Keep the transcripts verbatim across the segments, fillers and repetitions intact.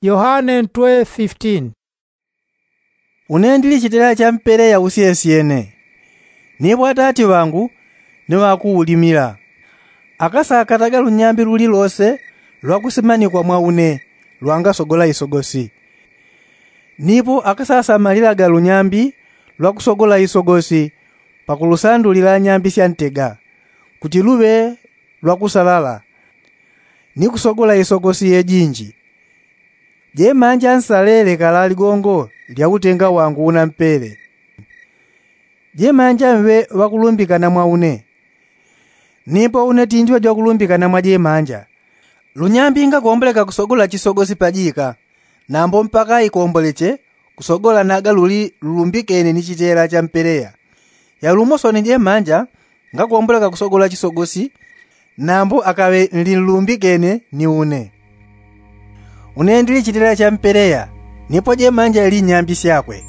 Yohane ntwe fifitini. Une ndili chitela cha mpeleya usyesyene, nipo atati ŵangu ni ŵakuulimila. Akasakataga lunyambi lulilose lwakusimanikwa mwa une, lwangasogola isogosi. Nipo akasasamalilaga lunyambi lwakusogola isogosi pakulusandulila nyambi syantega, kuti luŵe lwakusalala, ni kusogola isogosi yejinji. Jemanja nsalele kala ligongo lya utenga wangu unampele. Jemanja mwe ŵakulumbikana mwa une, nipo une tindiŵa jwakulumbikana mwa jemanja. Lunyambi ngakomboleka kusogola chisogosi pajika, nambo mpaka ikomboleche kusogola naga luli lulumbikene ni chitela cha mpeleya. Yalumo soni jemanja ngakomboleka kusogola chisogosi, nambo akaŵe nlinlumbikene ni une. Une ndili chitela cha mpeleya, nipo jemanja ili nyambi syakwe.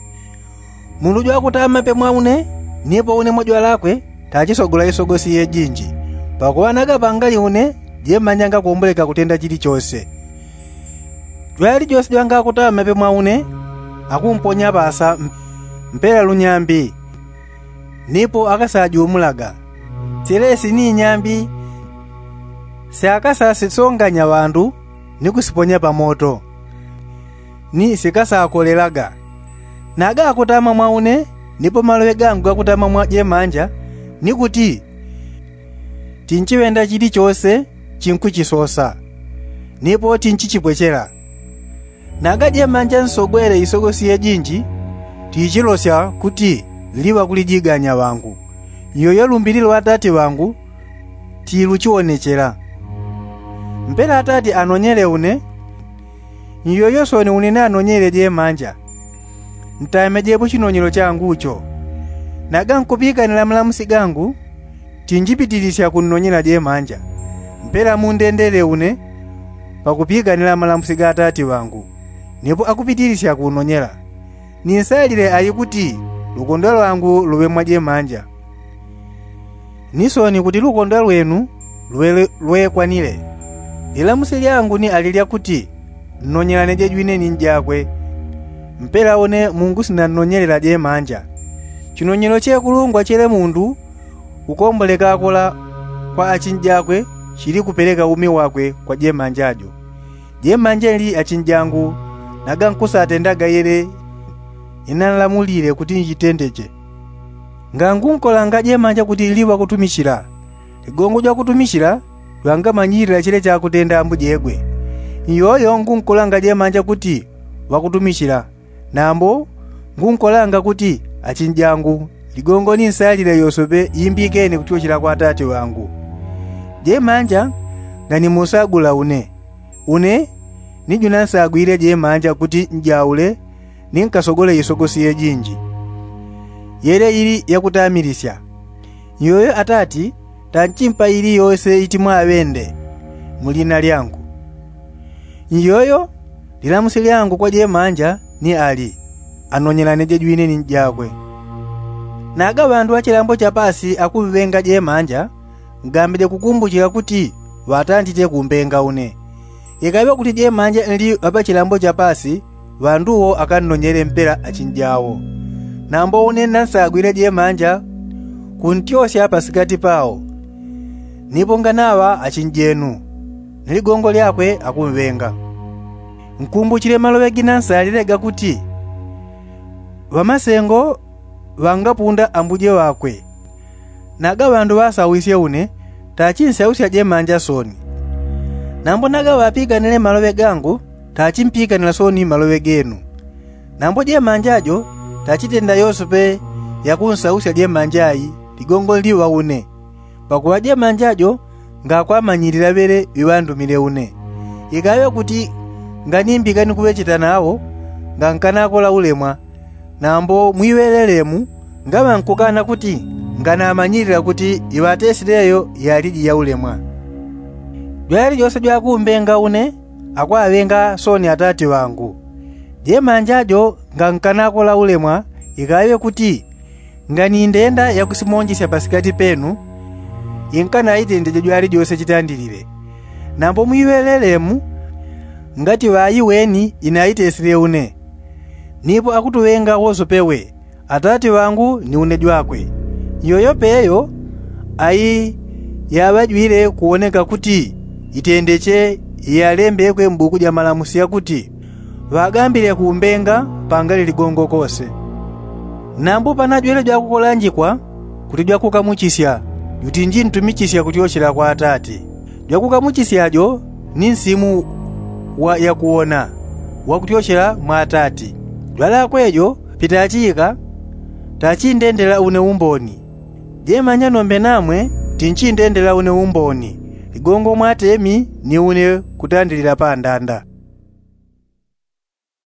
Mundu jwakutamape mwa une, nipo une mwa jwalakwe, tachisogola isogosi yejinji, pakuŵa naga pangali une, jemanja ngakomboleka kutenda chilichose. Jwalijose jwangakutamape mwa une, akumponya pasa mpela lunyambi, nipo akasajumulaga. Silesi ni nyambi syakasasisonganya ŵandu ni kusiponya pamoto, ni sikasakolelaga. Naga akutama mwa une, nipo maloŵe gangu gakutama mwa jemanja, ni kuti, tinchiŵenda chilichose chinkuchisosa, nipo tinchichipwechela. Naga jemanja nsogwele isogosi yejinji, tichilosya kuti liŵa kuli jiganya ŵangu, iyoyo lumbili lwa atati ŵangu tiluchiwonechela. Mpela atati anonyele une, iyoyo soni une nanonyele jemanja. Ntamejepo chinonyelo changu cho. Naga nkupikanila malamusi gangu, tinjipitilisya kunnonyela jemanja. Mpela mundendele une pakupikanila malamusi ga atati ŵangu, nipo akupitilisya kunnonyela. Ninsalile ayi kuti lukondwa lwangu luŵe mwa jemanja, ni soni kuti lukondwa lwenu luŵe lwekwanile. Lilamusi lyangu ni ali lya kuti nnonyelane jejwine ni njakwe. Mpela une mungu sinannonyelela jemanja. Chinonyelo chekulungwa chele mundu ukomboleka akola kwa achinjakwe chili kupeleka umi wakwe kwa jemanja jo. Jemanja nli achinjangu, naga nkusatendaga yele inanlamulile kuti njitendeche. Ngangunkolanga jemanja kuti nli ŵakutumichila, ligongo jwakutumichila jwangamanyilila chele chakutenda ambujegwe. Iyoyo ngunkolanga jemanja kuti ŵakutumichila, nambo ngunkolanga kuti achinjangu, ligongo ni nsalile yosepe imbikene kuchochela kwa atati ŵangu. Jemanja nganimusagula une, une ni junansagwile jemanja kuti njaule ni nkasogole isogosi yejinji, yele ili yakutamilisya. Iyoyo atati tanchimpa ili yose iti mwa aŵende mu lina lyangu. Iyoyo lilamusi lyangu kwa jemanja ni ali, anonyelane jejwine ni njakwe. Naga ŵandu ŵa chilambo cha pasi akumbenga jemanja, ngambile kukumbuchila kuti ŵatandite kumbenga une. Ikaŵe kuti jemanja nli ŵa pa chilambo cha pasi, ŵandu wo akannonyele mpela achinjawo. Nambo une nansagwile jemanja kuntyosya pasikati pawo, nipo nganaŵa achinjenu, ni ligongo lyakwe akumbenga. Nkumbuchile maloŵe ginansalile gakuti, ŵamasengo ŵangapunda ambuje ŵakwe. Naga ŵandu ŵasawisye une, tachinsausya jemanja soni. Nambo naga ŵapikanile maloŵe gangu, tachimpikanila soni maloŵe genu. Nambo jemanja jo tachitenda yosepe yakunsausya jemanja ayi, ligongo nliŵa une. Pakuŵa jemanja jo ngakwamanyilila ŵele ŵiŵandumile une. Ikaŵe kuti nganimbika ni kuŵecheta nawo, ngankanakola ulemwa. Nambo mwiŵelelemu ngaŵankukana kuti nganamanyilila kuti iŵatesileyo yaliji ya ulemwa. Jwalijose jwakumbenga une akwaŵenga soni atati ŵangu. Jemanja jo ngankanakola ulemwa, ikaŵe kuti nganindenda yakusimonjesya pasikati penu, inkanaitendeje jwalijose chitandilile. Nambo mwiŵelelemu Ngati ŵayi weni ine aitesile une, nipo akutuŵenga wose pewe. Atati ŵangu ni une jwakwe. Iyoyo peyo ayi yaŵajwile kuwoneka kuti itendeche iyalembekwe m'buku ja malamusi yakuti, ŵagambile kumbenga pangali ligongo kose. Nambu panajwele jwakukolanjikwa kuti jwakukamuchisya, jutinji ntumichisya kutyochela kwa atati. Jwakukamuchisya jo ni nsimu wa yakuwona wakutyochela mwa atati. Jwalakwe jo pitachika tachindendela une umboni. Jemanya nombe namwe tinchindendela une umboni ligongo mwatemi ni une kutandilila pandanda.